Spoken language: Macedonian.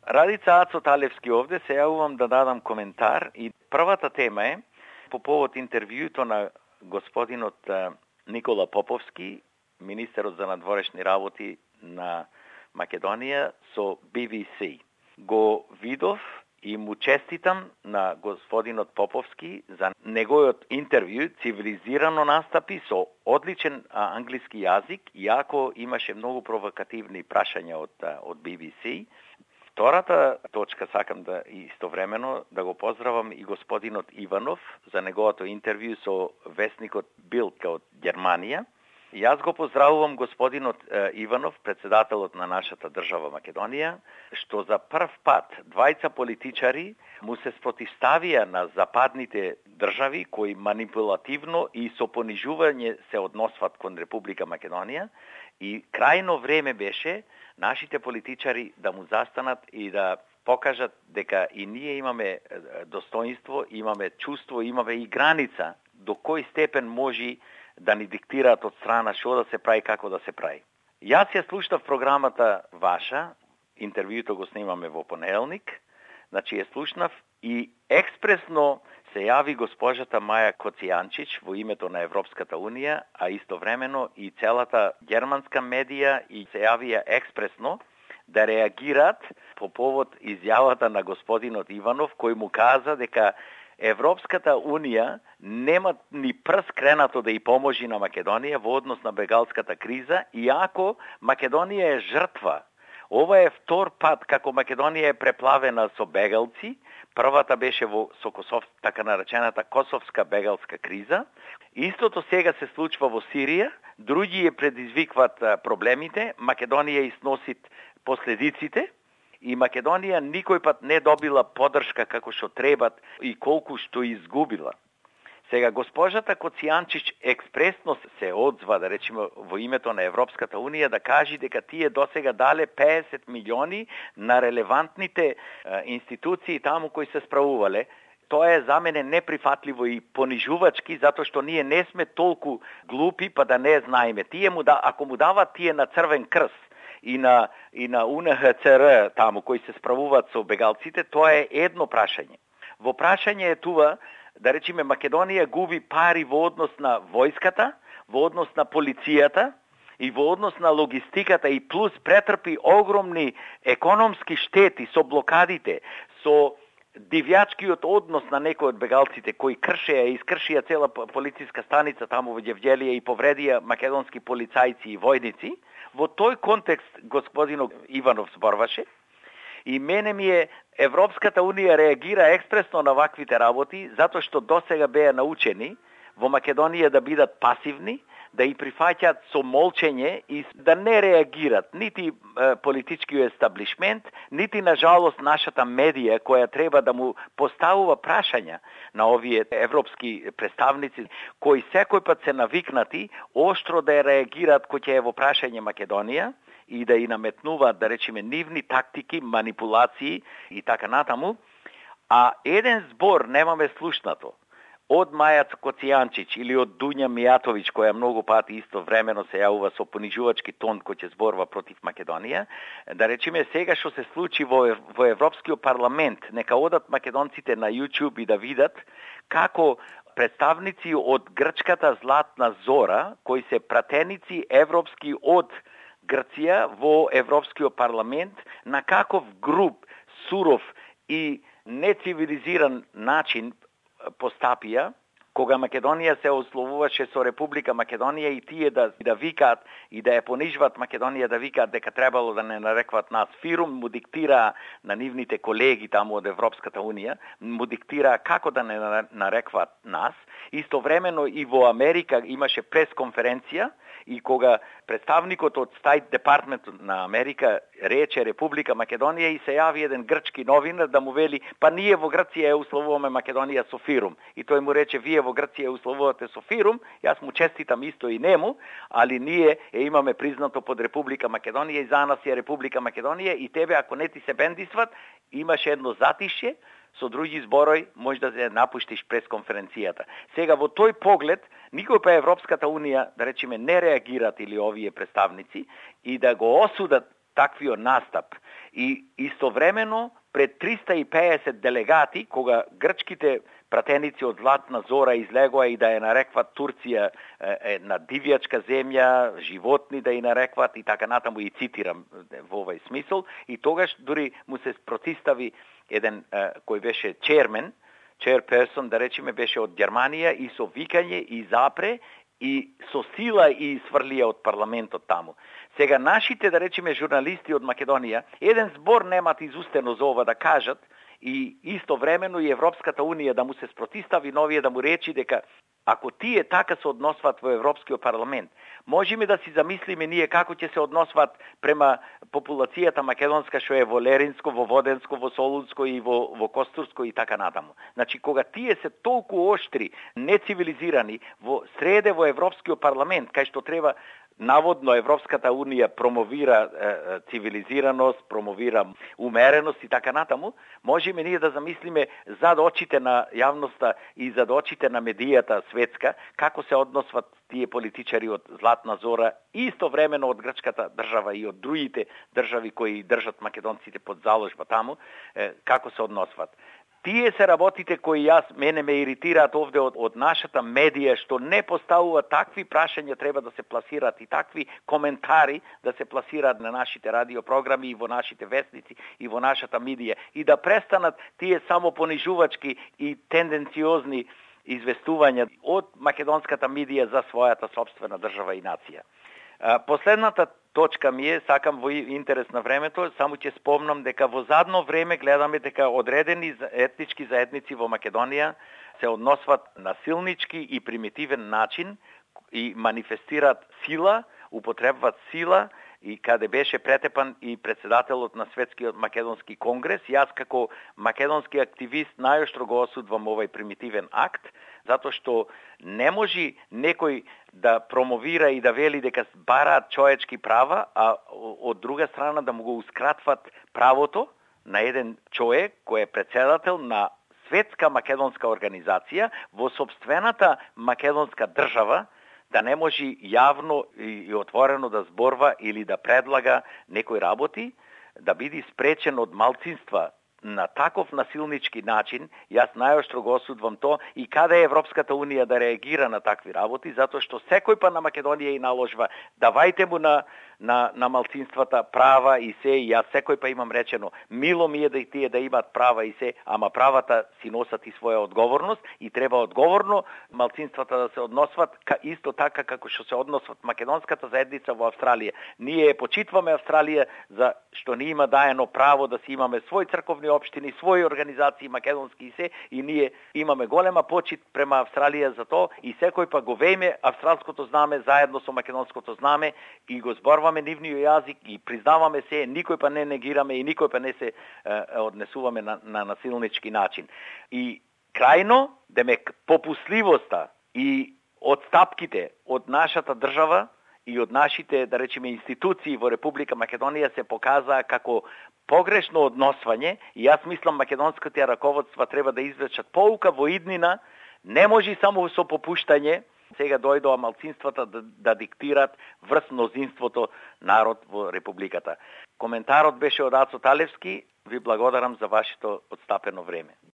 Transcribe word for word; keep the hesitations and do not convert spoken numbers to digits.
Радица Ацо Талевски овде, се јавувам да дадам коментар и првата тема е по повод интервјуто на господинот Никола Поповски, министерот за надворешни работи на Македонија со Би Би Си. Го видов и му честитам на господинот Поповски за неговиот интервју, цивилизирано настапи со одличен а, англиски јазик, иако имаше многу провокативни прашања од, од Би Би Си. Втората точка сакам да истовремено да го поздравам и господинот Иванов за неговото интервју со весникот Билд од Германија. Јас го поздравувам господинот е, Иванов, председателот на нашата држава Македонија, што за прв пат двајца политичари му се спротивставија на западните држави кои манипулативно и со понижување се односват кон Република Македонија, и крајно време беше нашите политичари да му застанат и да покажат дека и ние имаме достоинство, имаме чувство, имаме и граница до кој степен може да ни диктираат од страна што да се прави, како да се прави. Јас ја слушнав програмата ваша, интервјуто го снимаме во понеделник, значи ја слушнав и експресно се јави госпожата Маја Коцијанчич во името на Европската Унија, а истовремено и целата германска медија и се јавија експресно да реагираат по повод изјавата на господинот Иванов, кој му каза дека Европската Унија нема ни прст кренато да ја поможи на Македонија во однос на бегалската криза, иако Македонија е жртва. Ова е втор пат како Македонија е преплавена со бегалци. Првата беше во со Косов, така наречената Косовска бегалска криза. Истото сега се случва во Сирија, други ја предизвикват проблемите, Македонија износи последиците. И Македонија никој пат не добила поддршка како што требат и колку што изгубила. Сега госпожата Коцијанчич експресно се одзва, да речеме, во името на Европската Унија да кажи дека тие досега дале песет милиони на релевантните е, институции таму кои се справувале. Тоа е за мене неприфатливо и понижувачки, затоа што ние не сме толку глупи па да не знаеме. Тие му да, ако му дават тие на Црвен крст и на и на У Н Х Ц Р таму кои се справуваат со бегалците, тоа е едно прашање. Во прашање е това, да речеме, Македонија губи пари во однос на војската, во однос на полицијата и во однос на логистиката, и плюс претрпи огромни економски штети со блокадите, со дивјачкиот однос на некои од бегалците кои кршеа и искршија цела полициска станица таму во Ѓевѓелија и повредија македонски полицајци и војници. Во тој контекст господинот Иванов зборваше и мене ми е Европската Унија реагира експресно на ваквите работи, затоа што досега беа научени во Македонија да бидат пасивни, да и прифаќаат со молчење и да не реагират нити е, политичкиот естаблишмент, нити на жалост нашата медија која треба да му поставува прашања на овие европски представници кои секој пат се навикнати оштро да реагираат кога ќе е во прашање Македонија и да и наметнуваат, да речеме, нивни тактики, манипулации и така натаму, а еден збор немаме слушнато од Маја Коцијанчич или од Дуња Мијатовиќ, која многу пати исто времено се јавува со понижувачки тон кој ќе зборува против Македонија, да речеме сега што се случи во, во Европскиот парламент, нека одат македонците на YouTube и да видат како представници од грчката Златна Зора, кои се пратеници европски од Грција во Европскиот парламент, на каков груб, суров и нецивилизиран начин постапија, кога Македонија се условуваше со Република Македонија и тие да, да викаат и да ја понижват Македонија, да викаат дека требало да не нарекват нас фирум, му диктира на нивните колеги таму од Европската Унија, му диктира како да не нарекват нас. Истовремено и во Америка имаше пресконференција и кога представникот од Стајт департментот на Америка рече Република Македонија и се јави еден грчки новинар да му вели па ние во Грција ја условуваме Македонија со фирум. И тој му рече вие во Грција ја условувате со фирум, јас му честитам исто и нему, али ние е имаме признато под Република Македонија и за нас е Република Македонија и тебе ако не ти се бендисват, имаше едно затишје, со други зборој може да се напуштиш пресконференцијата. Сега во тој поглед никој па Европската Унија, да речеме, не реагираат или овие представници и да го осудат таквиот настап. И истовремено пред триста и педесет делегати, кога грчките пратеници од Златна Зора излегоа и да ја нарекват Турција е, на дивјачка земја, животни да ја нарекват и така натаму, и цитирам во овој смисол, и тогаш дури му се протистави еден е, кој беше чермен, chairperson, да речеме, беше од Германија и со викање и запре и со сила и сврлија од парламентот таму. Сега нашите, да речеме, журналисти од Македонија, еден збор немат изустено за ова да кажат и истовремено и Европската унија да му се спротистави новие да му речи дека ако тие така се односват во Европскиот парламент, можеме да си замислиме ние како ќе се односват према популацијата македонска што е во Леринско, во Воденско, во Солунско и во, во Костурско и така натаму. Значи, кога тие се толку оштри, нецивилизирани во среде во Европскиот парламент, кај што треба наводно Европската унија промовира е, цивилизираност, промовира умереност и така натаму, можеме ние да замислиме зад очите на јавноста и зад очите на медијата светска, како се односват тие политичари од Златна Зора и истовремено од грчката држава и од другите држави кои држат македонците под заложба таму, е, како се односват. Тие се работите кои јас мене ме иритираат овде од, од нашата медија, што не поставува такви прашања треба да се пласираат и такви коментари да се пласираат на нашите радиопрограми и во нашите вестници и во нашата медија и да престанат тие само понижувачки и тенденциозни известувања од македонската медија за својата собствена држава и нација. Последната точка ми е, сакам во интерес на времето, само ќе спомнам дека во задно време гледаме дека одредени етнички заедници во Македонија се односват насилнички и примитивен начин и манифестираат сила, употребваат сила, и каде беше претепан и председателот на Светскиот македонски конгрес. Јас како македонски активист најоштро го осудвам овој примитивен акт, затоа што не може некој да промовира и да вели дека бараат човечки права, а од друга страна да му гоускратват правото на еден човек кој е председател на Светска македонска организација во сопствената македонска држава, да не може јавно и отворено да зборва или да предлага некои работи, да биде спречен од малцинства на таков насилнички начин. Јас најоштро го осудвам то и каде е Европската унија да реагира на такви работи, затоа што секој па на Македонија и наложва давајте му на на на малцинствата права и се, и јас секој па имам речено мило ми е да и тие да имаат права и се, ама правата си носат и своја одговорност и треба одговорно малцинствата да се односват исто така како што се односват македонската заедница во Австралија. Ние почитваме Австралија за што ни има даено право да си имаме свој црковни општини, своји организации македонски и се, и ние имаме голема почит према Австралија за тоа и секој па го вејме австралското знаме заедно со македонското знаме и го зборваме нивниот јазик и признаваме се, никој па не негираме и никој па не се е, однесуваме на, на насилнички начин. И крајно, демек, попусливоста и одстапките од нашата држава и од нашите, да речеме, институции во Република Македонија се показаа како погрешно односвање и јас мислам македонските раководства треба да извлечат поука во иднина, не може само со попуштање. Сега дојдоа малцинствата да, да диктират врз мнозинството народ во Републиката. Коментарот беше од Ацо Талевски. Ви благодарам за вашето одстапено време.